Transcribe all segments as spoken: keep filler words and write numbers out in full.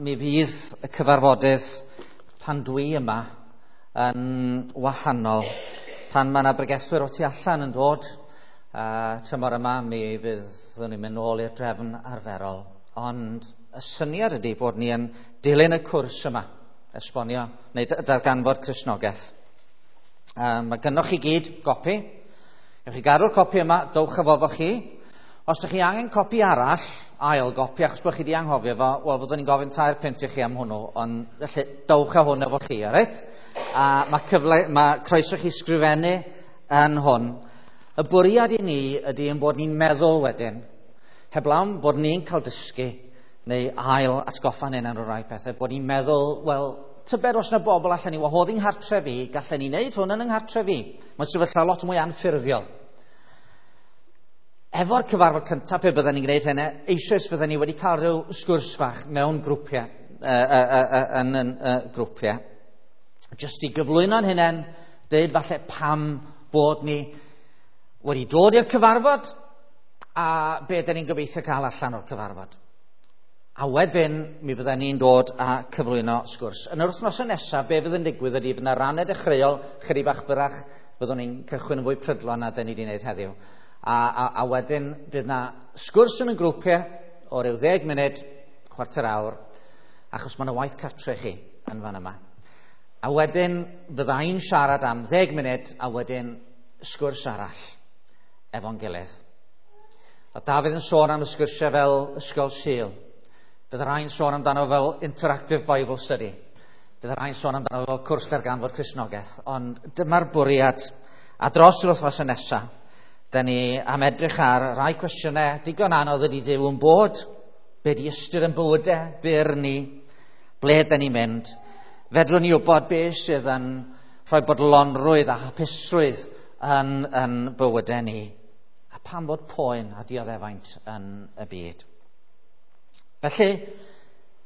Mi fydd y cyfarfodydd pan dwi yma yn wahanol. Pan mae yna bregethwyr o tu allan yn dod, uh, tymor yma mi fyddwn ni'n mynd nôl i'r drefn arferol. Ond y syniad ydy bod ni yn dilyn y cwrs yma, esbonio, neu darganfod Cristnogaeth. Um, mae gynnoch chi gyd gopi. Ewch chi gadw'r copi yma, dowch efo fo chi. Os ydych chi angen copi arall, ail gopi, achos bod chi wedi anghofio fo, wel, fyddwn ni'n gofyn tair punt i chi am hwnnw, ond felly dowch â hwn efo chi, alright? A mae cyfle, mae croeso chi sgrifennu yn hwn. Y bwriad i ni ydy ein bod ni'n meddwl wedyn, heblaw bod ni'n cael dysgu neu ail atgoffa'n hunain o rai pethau, bod ni'n meddwl, wel, tybed os yna bobl allan ni wahodd i'n nghartref i, gallen ni wneud hwn yn yng nghartref i. Mae'n sefyllfa lot mwy anffurfiol. Efo'r cyfarfod cyntaf, pe bydden ni'n gwneud hynny, eisoes fydden ni wedi cael rhyw sgwrs fach mewn grwpiau, uh, uh, uh, yn, yn uh, grwpiau. Jyst i gyflwyno'n hunain, deud falle pam bod ni wedi dod i'r cyfarfod a be dyn ni'n gobeithio cael allan o'r cyfarfod. A wedyn mi fydden ni'n dod a cyflwyno sgwrs. Yn yr wythnosau nesaf, be fydd yn digwydd ydy fydd yna rannau dechreuol, chydig bach byrach, fyddwn ni'n cychwyn yn fwy prydlon na dyn ni wedi gwneud heddiw. A, a, a wedyn fydd yna sgwrs yn y grwpiau o ryw ddeg munud, chwarter awr, achos mae yna waith cartre chi yn fan yma. A wedyn fydda i'n siarad am ddeg munud a wedyn sgwrs arall efo'n gilydd. A Dafydd yn sôn am y sgwrsiau fel Ysgol Sul. Bydd rhai'n sôn amdano fel Interactive Bible Study. Bydd rhai'n sôn amdano fel cwrs darganfod Cristnogaeth. Ond dyma'r bwriad, a dros yr wythnos nesaf, da ni am edrych ar rai cwestiynau digon anodd ydy Duw yn bod, be di ystyr yn bywydau byr ni, ble da ni'n mynd. Fedrwn ni wybod be sydd yn rhoi bodlonrwydd a hapusrwydd yn, yn bywydau ni, a pam fod poen a dioddefaint yn y byd. Felly,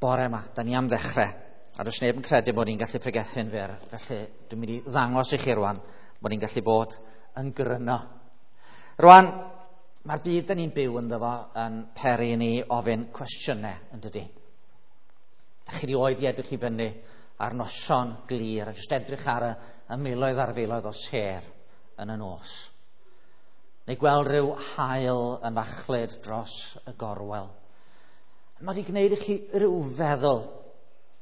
bore yma, da ni am ddechrau, a does neb yn credu bod ni'n gallu pregethu'n fyr, felly dwi'n mynd i ddangos i chi rwan bod ni'n gallu bod yn gryno. Rwan, mae'r byd da ni'n byw ynddo fo yn peri ni ofyn cwestiynau, yn dydi? Da chi rioed i edrych i fyny ar noson glir a jyst edrych ar y, y miloedd ar filoedd o sêr yn y nos. Neu gweld rhyw haul yn fachlud dros y gorwel. Mae wedi gwneud i chi rhyw feddwl,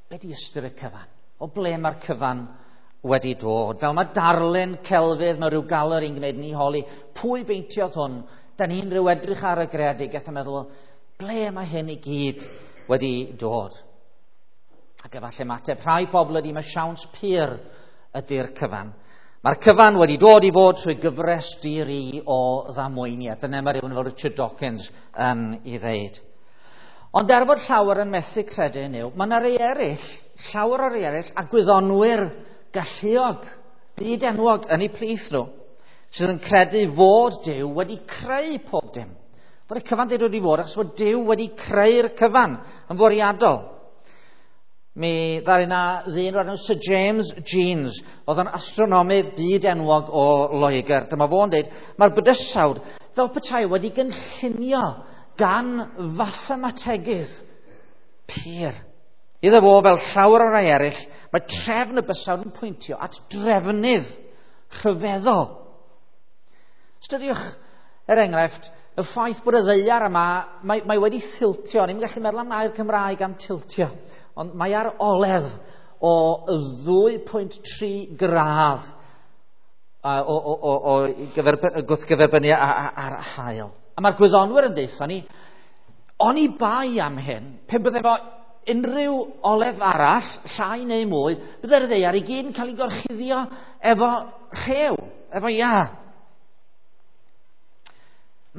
be di ystyr y cyfan? O ble mae'r cyfan wedi dod? Fel mae darlun celfydd, mae rhyw galeri'n gwneud ni holi, pwy beintiodd hwn? Da ni'n rhyw edrych ar y greadigaeth a meddwl, ble mae hyn i gyd wedi dod? Ac efallai mateb rhai pobl ydy, mae siawns pur ydy'r cyfan. Mae'r cyfan wedi dod i fod trwy gyfres di-ri o ddamweiniau. Dyna mae rhywun fel Richard Dawkins yn ei ddeud. Ond er bod llawer yn methu credu yn yw, mae yna rei eraill, llawer o rei eraill, a gwyddonwyr galluog, byd enwog yn eu plith nhw, sydd yn credu fod Duw wedi creu pob dim. Fod y cyfan wedi dod i fod, achos fod Duw wedi creu'r cyfan yn fwriadol. Mi ddaru yna ddyn o'r enw Sir James Jeans, oedd yn astronomydd byd enwog o Loegr. Dyma fo'n dweud, mae'r bydysawd fel petai wedi gynllunio gan fathemategydd pur. Iddo fo, fel llawer o rai eraill, mae trefn y bysawd yn pwyntio at drefnydd rhyfeddol. Ystyriwch, er enghraifft, y ffaith bod y ddaear yma, mae, mae wedi thiltio. Ni'n gallu meddwl am air Cymraeg am tiltio, ond mae ar oledd o ddwy pwynt tri gradd o, o, o, o gwrthgyferbynnu ar haul. A mae'r gwyddonwyr yn deutha ni, oni bai am hyn, pe bydde fo unrhyw oledd arall, llai neu mwy, bydde'r ddaear i gyd yn cael ei gorchuddio efo rhew, efo iâ.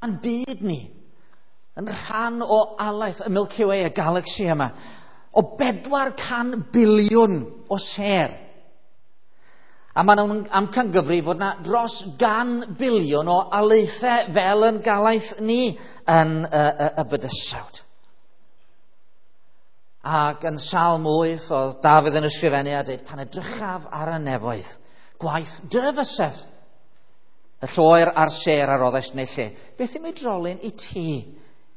Mae'n byd ni yn rhan o alaeth y Milky Way, y galaxy yma, o bedwar can biliwn o sêr. A maen nhw'n amcangyfrif fod yna dros gan biliwn o alaethau fel yn galaeth ni yn y, y, y bydysawd. Ac yn Salm wyth, oedd Dafydd yn ysgrifennu a dweud, pan edrychaf ar y nefoedd, gwaith dy fysedd, y lloer a'r sêr a roddes neu lle. Beth yw ei drolyn i ti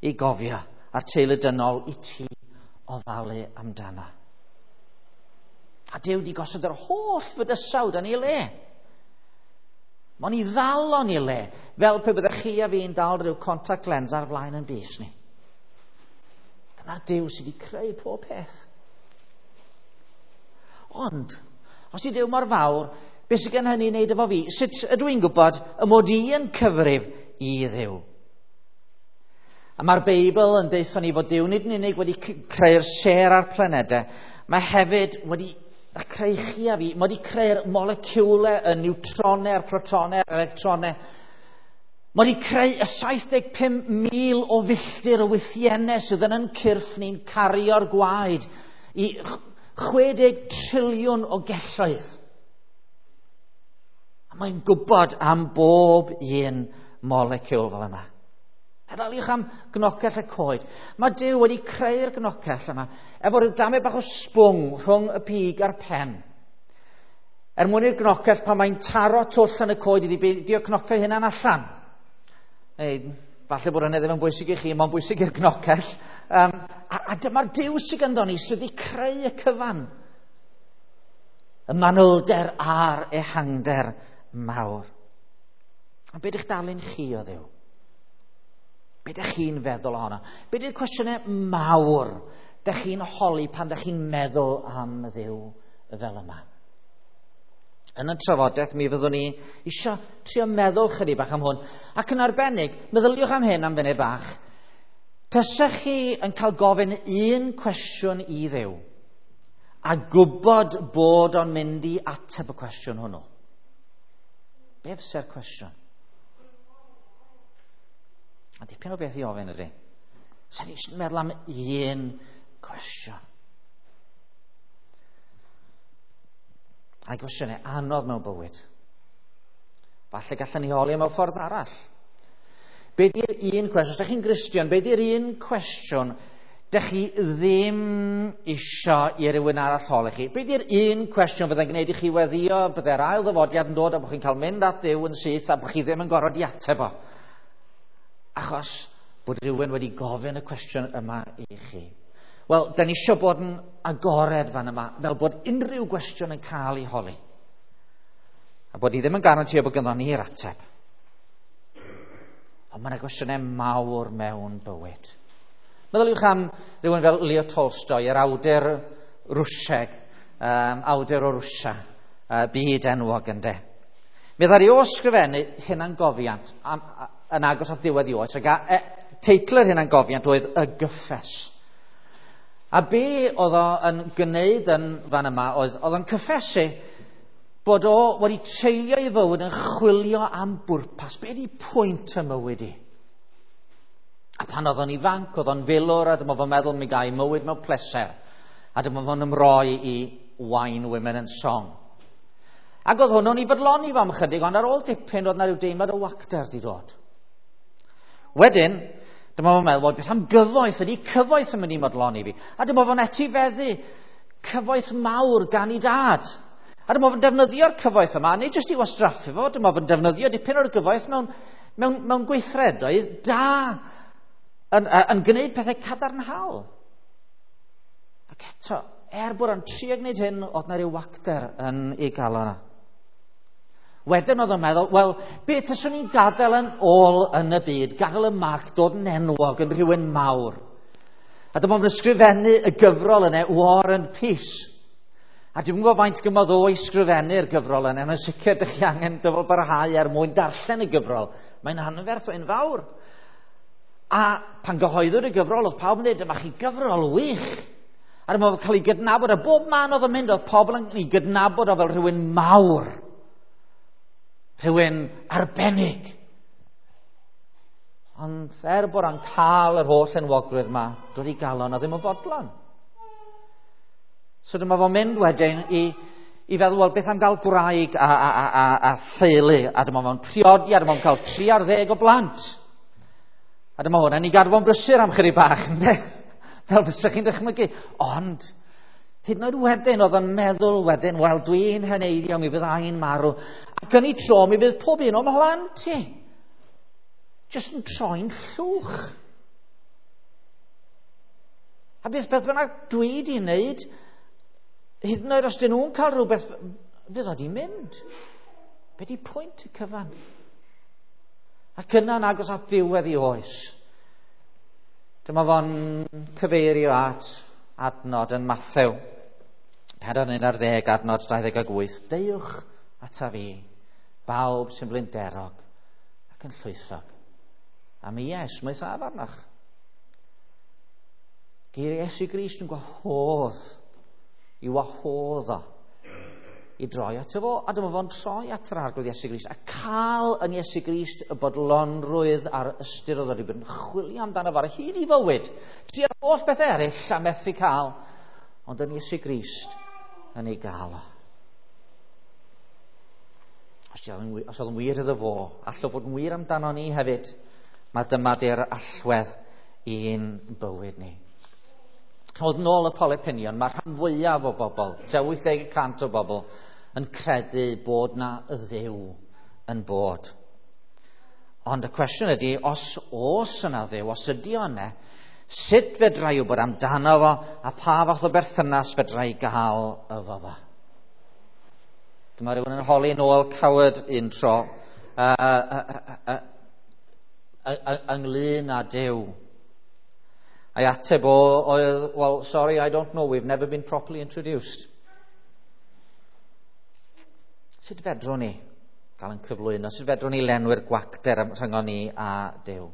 i gofio, a'r teulu dynol i ti ofalu amdano. A Duw di gosod yr holl fydysawd yn ei le. Mae'n i ddal o'n ei le, fel pe byddech chi a fi'n dal rhyw contact lens ar flaen yn bys ni. Dyna'r Duw sydd wedi creu pob peth. Ond, os i Duw mor fawr, beth sydd gen hynny i wneud efo fi? Sut ydw i'n gwybod y mod i yn cyfrif i Dduw? A mae'r Beibl yn deutho ni fod Duw nid yn unig wedi creu'r sêr a'r planedau, mae hefyd wedi creu chi a fi, mae wedi creu'r moleciwlau, y niwtronau, a'r protonau, a'r electronau. Mae wedi creu y saith deg pump mil o filltir o wythiennau sydd yn yn cyrff ni'n cario'r gwaed i chwe deg triliwn o gelloedd. A mae'n gwybod am bob un moleciwl fel yma. Meddyliwch am gnocell y coed. Mae Duw wedi creu'r gnocell yma efo rhyw damed bach o sbwng rhwng y pig a'r pen. Er mwyn i'r gnocell pan mae'n taro twll yn y coed iddi beidio cnocio hunan allan. Ei, falle bod hynny ddim yn bwysig i chi, mae'n bwysig i'r gnocell. Um, a, a dyma'r Duw sydd ganddo ni sydd wedi creu y cyfan. Y manylder a'r ehangder mawr. A be ydych darlun chi o Dduw? Be ydych chi'n feddwl ohono? Be ydy'r cwestiynau mawr ydych chi'n holi pan ydych chi'n meddwl am Dduw fel yma? Yn y trafodaeth mi fyddwn ni isio trio meddwl chydig bach am hwn. Ac yn arbennig, meddyliwch am hyn am funud bach. Tasech chi yn cael gofyn un cwestiwn i Dduw a gwybod bod o'n mynd i ateb y cwestiwn hwnnw. Be fysa'r cwestiwn? A dipyn o beth i ofyn ydy. Sa'n ni eisiau meddwl am un cwestiwn. A gwestiynau anodd mewn bywyd. Falle gallwn ni holi mewn ffordd arall. Be di'r un cwestiwn? Os ydych chi'n Gristion, be di'r un cwestiwn dych chi ddim isio i rywun arall holi chi? Be di'r un cwestiwn fyddai'n gwneud i chi weddio, byddai'r ail ddyfodiad yn dod a bod chi'n cael mynd at Dduw yn syth a bod chi ddim yn gorfod i ateb o? Achos bod rhywun wedi gofyn y cwestiwn yma i chi. Wel, da ni eisiau bod yn agored fan yma, fel bod unrhyw gwestiwn yn cael ei holi. A bod ni ddim yn garantio bod ganddo ni'r ateb. Ond mae yna gwestiynau mawr mewn bywyd. Meddyliwch am rhywun fel Leo Tolstoy, yr awdur Rwsieg, um, awdur o Rwsia, uh, byd enwog ynde. Mi ddaru o ysgrifennu hunangofiant am, yn agos at ddiwedd i oes, ac a, e, teitl yr hunangofiant oedd Y Gyffes. A be oedd o yn gwneud yn fan yma oedd, oedd o'n cyffesu bod o wedi treulio ei fywyd yn chwilio am bwrpas. Be ydi pwynt y mywyd i? A pan oedd o'n ifanc, oedd o'n filwr, a dyma fo'n meddwl mi gai mywyd mewn pleser. A dyma fo'n ymroi i Wine, Women and Song. Ac oedd hwnnw'n i fodloni fo am chydig, ond ar ôl dipyn oedd na rhyw deimlad o wacter di dod. Wedyn, dyma fo'n meddwl, beth am gyfoeth, ydy cyfoeth yn mynd i modloni fi? A dyma fo'n etifeddu cyfoeth mawr gan ei dad. A dyma fo'n defnyddio'r cyfoeth yma, nid jyst i wastraffu fo, dyma fo'n defnyddio dipyn o'r gyfoeth mewn, mewn, mewn gweithredoedd da, yn, yn gwneud pethau cadarnhaol. Ac eto, er bod o'n trio gwneud hyn, oedd na ryw wacter yn ei galon yna. Wedyn oedd o'n meddwl, wel, beth yswn i'n gadael yn ôl yn y byd, gadael y marc, dod yn enwog, yn rhywun mawr. A dyma fo'n ysgrifennu y gyfrol yna, War and Peace. A dwi'm yn gwybod faint gymodd o i sgrifennu'r gyfrol yna, mae'n sicr dych chi angen dyfal barhau er mwyn darllen y gyfrol. Mae'n anferth o enfawr. A pan gyhoeddwyd y gyfrol, oedd pawb yn dweud, dyma chi gyfrol wych. A dyma fo'n cael ei gydnabod, a bob man oedd yn mynd, oedd pobl yn ei gydnabod o fel rhywun mawr. Rhywun arbennig. Ond er bod o'n cael yr holl enwogrwydd yma, doedd ei galon a ddim yn fodlon. So dyma fo'n mynd wedyn i, i feddwl, wel, beth am gael gwraig a, a, a, a, a theulu, a dyma fo'n priodi, a dyma fo'n cael tri ar ddeg o blant. A dyma hwnna'n ei gadw fo'n brysur am chydig bach, ynde? Fel bysach chi'n dychmygu. Ond, hyd yn oed wedyn, oedd o'n meddwl wedyn, wel, dwi'n heneiddio, mi fyddai'n marw. Ac yn ei tro, mi fydd pob un o'm mhlant i. Jyst yn troi'n llwch. A beth beth bynnag dwi wedi wneud, hyd yn oed os dyn nhw'n cael rhywbeth, fydd o di mynd. Be di pwynt y cyfan? Ac yna'n agos at ddiwedd i oes. Dyma fo'n cyfeirio at adnod yn Mathew. Pedwar un ar ddeg, adnod dau ddeg ag wyth. Deuwch ata fi, bawb sy'n blinderog ac yn llwythog. A mi esmwythaf arnoch. Geiriau Iesu Grist yn gwahodd, i wahodd o, i droi ato fo, a dyma fo'n troi at yr Arglwydd Iesu Grist, a cael yn Iesu Grist y bodlonrwydd a'r ystyr oedd wedi bod yn chwilio amdano fo ar hyd i fywyd, tri'r holl beth eraill a methu cael, ond yn Iesu Grist yn ei gael o. Os oedd yn wir iddo fo, allai fod yn wir amdano ni hefyd, mae dyma di'r allwedd i'n bywyd ni. Chymod, nôl y poll opinion, mae rhan fwyaf o bobl, tua wyth deg y cant o bobl, yn credu bod na Dduw yn bod. Ond y cwestiwn ydy, os oes yna Dduw, os ydy o yna, sut fedra i wybod amdano fo, a pa fath o berthynas fedra i gael efo fo? Dyma rhywun yn holi Noel Coward un tro, uh, uh, uh, uh, uh, uh, ynglyn â Duw. A'i ateb o oedd, well, sorry, I don't know, we've never been properly introduced. Sut fedrwn ni gael yn cyflwyno? Sut fedrwn ni lenwi'r gwacter rhyngon ni a Duw?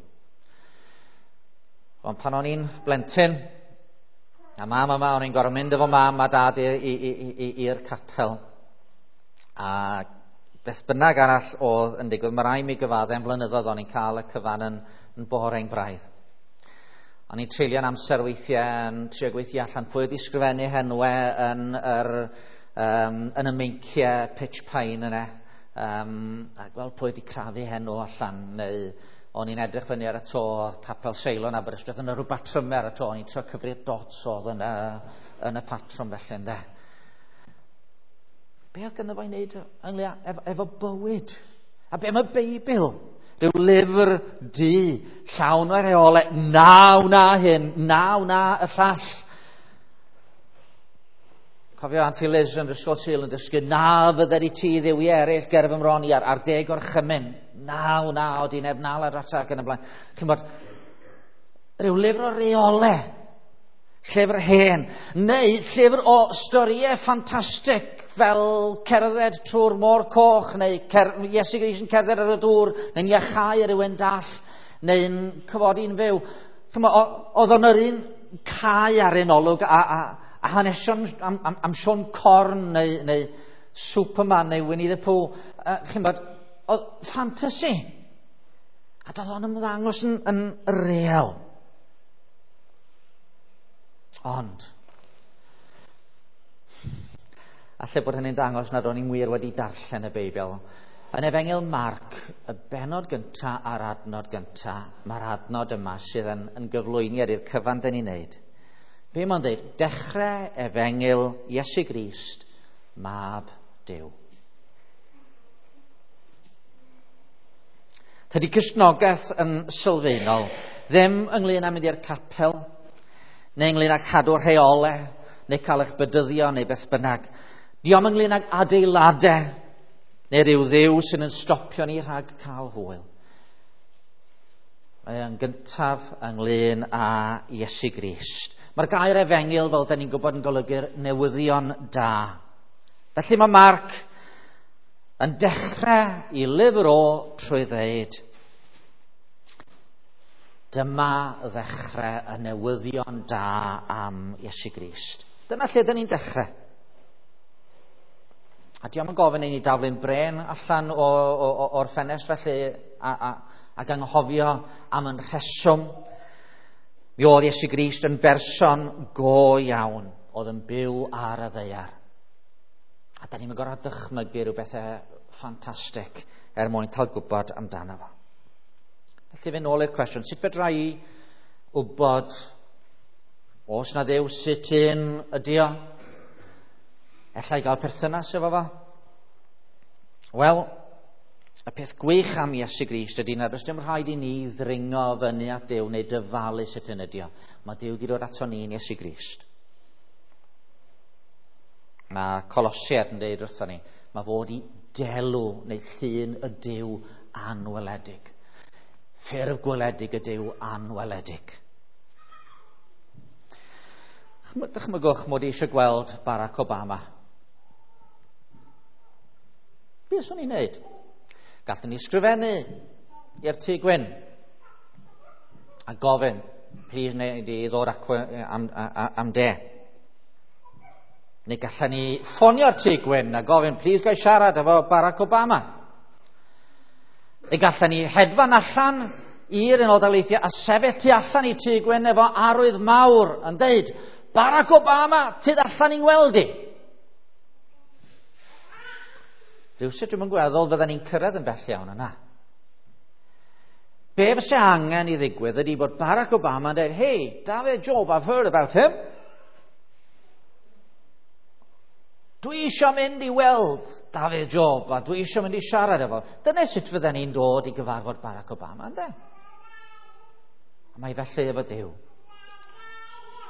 Ond pan o'n i'n blentyn, a mam yma, o'n i'n gorfod mynd efo mam a dad i'r capel. A beth bynnag arall oedd yn digwydd, mae rai mi gyfadde am blynyddoedd o'n i'n cael y cyfan yn, yn boring braidd. O'n i'n treulio'n amser weithiau yn trio gweithio allan pwy wedi sgrifennu henwau yn, yr, um, yn y meinciau pitch pine yna. Um, a gweld pwy wedi crafu henw allan. Neu o'n i'n edrych fyny ar y to, Capel Seilon Aberystwyth, yna rhyw batrymau ar y to. O'n i'n trio cyfri'r dots oedd yn y, yn y patrwm felly, ynde. Be oedd gynno fo i wneud ynglyn efo, efo bywyd? A be am y Beibl? Rhyw lyfr du, llawn o reolau, na wna hyn, na wna y llall. Cofio Auntie Liz yn Ysgol Sul yn dysgu, na fydder i ti dduwiau eraill ger fy mron i ar, ar deg orchymyn. Na wna, o di neb nal ar atak yn y blaen. Chymod, rhyw lyfr o reolau, llyfr hen, neu llyfr o storïau ffantastig, fel cerdded trwy'r môr coch, neu cer Iesu Grist yn cerdded ar y dŵr, neu'n iachau rhywun dall, neu'n cyfodi'n fyw. Oedd o'n yr un cae ar un olwg a, a, a hanesion am, am, am Siôn Corn, neu, neu Superman, neu Winnie the Pooh. Uh, Chymod, oedd fantasy. A doedd o'n ymddangos yn, yn real. Ond alle bod hynny'n dangos nad o'n i'n wir wedi darllen y Beibl. Yn Efengyl Marc, y bennod gynta a'r adnod gynta, mae'r adnod yma sydd yn, yn gyflwyniad i'r cyfan dyn ni'n neud. Be mae'n dweud? Dechrau Efengyl Iesu Grist, Mab Duw. Tydi Cristnogaeth yn sylfaenol ddim ynglyn â mynd i'r capel, neu ynglyn â cadw rheolau, neu cael eich bedyddio, neu beth bynnag. Diom ynglyn ag adeiladau, neu rhyw ddiw sy'n yn stopio ni rhag cael hwyl. Mae yn gyntaf ynglyn â Iesu Grist. Mae'r gair efengyl, fel da ni'n gwybod, yn golygu'r newyddion da. Felly mae Marc yn dechrau i lyfr o trwy ddeud, dyma ddechrau y newyddion da am Iesu Grist. Dyna lle dyn ni'n dechrau. A diolch yn gofyn i ni daflu'n bren allan o, o, o'r ffenest felly a, a, ac anghofio am yn rheswm. Mi oedd Iesu Grist yn berson go iawn oedd yn byw ar y ddaear. A da ni'n gorfod dychmygu rhyw bethau ffantastig er mwyn cael gwybod amdano fo. Felly fe nôl i'r cwestiwn, sut fedra i wybod os na Dduw, sut un ydi o? Ella i gael perthynas efo fo? Wel, Y peth gwych am Iesu Grist ydy nad oes dim rhaid i ni ddringo fyny at Duw neu dyfalu sut hyn ydi o. Mae Duw wedi dod ato ni yn Iesu Grist. Mae Colosiaid yn dweud wrthon ni, mae fod i delw neu llun y Duw anweledig. Ffurf gweledig y Duw anweledig. Dychmygwch mod i eisiau gweld Barack Obama. Be swn i'n neud? Gallwn ni sgrifennu i'r Tŷ Gwyn a gofyn, please neu i ddod acw am, am, am de. Neu gallwn ni ffonio'r Tŷ Gwyn a gofyn, please gai siarad efo Barack Obama. Neu gallwn ni hedfan allan i'r Unol Daleithiau a sefyll tu allan i Tŷ Gwyn efo arwydd mawr yn deud, Barack Obama, tyd allan i'n gweld i. Rhywsut dwi'm yn gweddol fydden ni'n cyrraedd yn bell iawn yna. Be fysa angen i ddigwydd ydy bod Barack Obama yn dweud, hey, David Job, I've heard about him. Dwi eisiau mynd i weld David Job a dwi eisiau mynd i siarad efo. Dyna sut fydden ni'n dod i gyfarfod Barack Obama, ynddo? A mae felly efo Duw.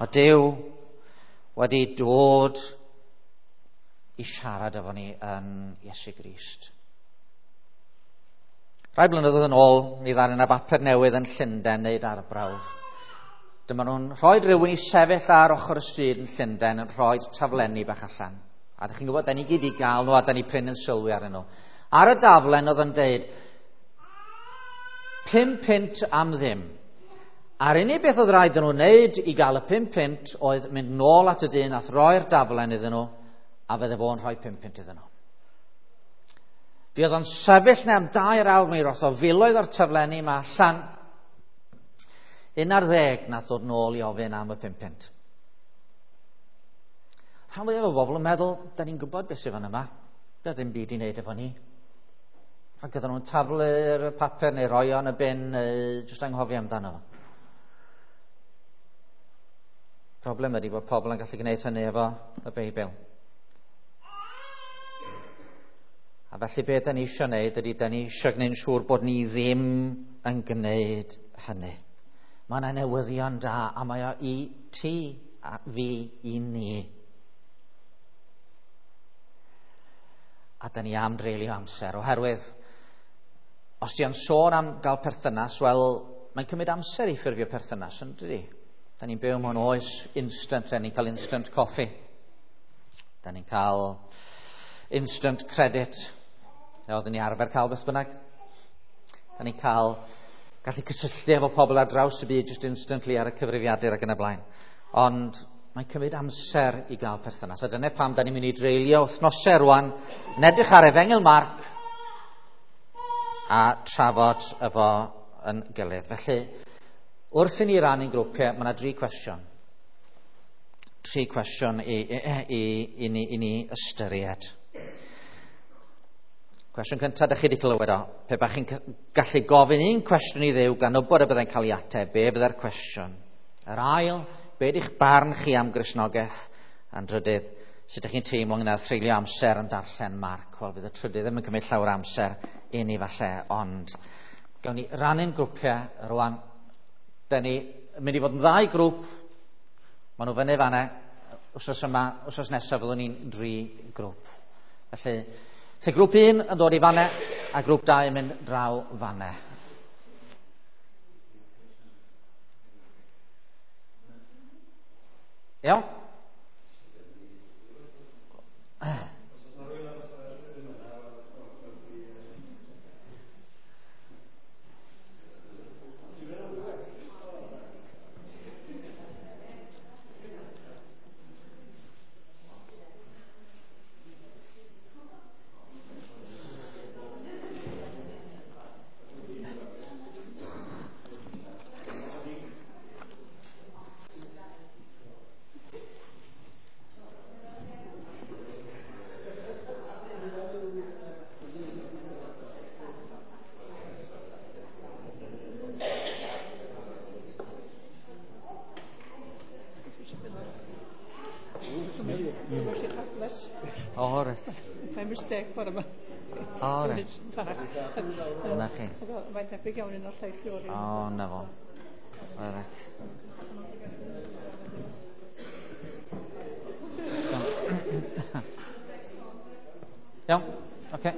Mae Duw wedi dod i siarad efo ni yn Iesu Grist. Rai blynyddoedd yn ôl, mi ddaru yna bapur newydd yn Llundain wneud arbrawf. Dyma nhw'n rhoi rhywun i sefyll ar ochr y stryd yn Llundain yn rhoi taflenni bach allan. A ydych chi'n gwybod, da ni gyd i gael nhw a da ni prin yn sylwi arnyn nhw. Ar y daflen oedd yn deud, pum punt am ddim. A'r unig beth oedd rhaid iddyn nhw wneud i gael y pum punt oedd mynd nôl at y dyn a throi'r daflen iddyn nhw, a fydde fo'n rhoi pum punt iddyn nhw. Mi oedd o'n sefyll neu am dair awr, mi roth o filoedd o'r taflenni yma allan. Un ar ddeg nath ddod nôl i ofyn am y pum punt. Rhan fwyaf o bobl yn meddwl, da ni'n gwybod beth sydd fan yma. Da ddim byd i wneud efo ni. Ac oedden nhw'n taflu'r papur neu roi o'n y bin, neu jyst anghofio amdano fo. Problem ydy bod pobl yn gallu gwneud hynny efo y Beibl. A felly be da ni eisiau gwneud ydy da ni eisiau gwneud yn siŵr bod ni ddim yn gwneud hynny. Mae yna newyddion da a mae o i ti a fi i ni. A da ni am dreulio amser oherwydd os ti am sôn am gael perthynas, wel mae'n cymryd amser i ffurfio perthynas, yn dydi? Da ni'n byw mewn oes instant, da ni'n cael instant coffee. Da ni'n cael instant credit. Oedden ni arfer cael beth bynnag. Da ni'n cael gallu cysylltu efo pobl ar draws y byd just instantly ar y cyfrifiadur ac yn y blaen. Ond mae'n cymryd amser i gael perthynas. A dyna pam da ni'n mynd i dreulio wythnosau rwan yn edrych ar Efengyl Marc a trafod efo yn gilydd. Felly, wrth i ni rannu'n grwpiau, mae yna dri cwestiwn. Tri cwestiwn i, i, i, i, ni, i ni ystyried. Cwestiwn cyntaf, ydych chi wedi clywed o. Pe bach chi'n gallu gofyn un cwestiwn i Dduw gan wybod y byddai'n cael ei ateb, be byddai'r cwestiwn? Yr ail, be ydych barn chi am Gristnogaeth? A'n drydydd, sut ydych chi'n teimlo ynglŷn â threulio amser yn darllen Marc? Wel, bydd y trydydd ddim yn cymryd llawer amser i ni falle, ond gawn ni rannu'n grwpiau rwan. Da ni mynd i fod yn ddau grŵp. Maen nhw fyny fanna. Wsos yma, wsos nesaf fyddwn ni'n dri grŵp. Felly, se grŵp un yn dod i fanna a grŵp dau yn mynd draw fanna. Iawn? Oh, right. By mistake, what am I? O, reit. Na chi. Mae'n debyg iawn un o'r lleill o'r O, na fo. O, reit. Iawn, oce.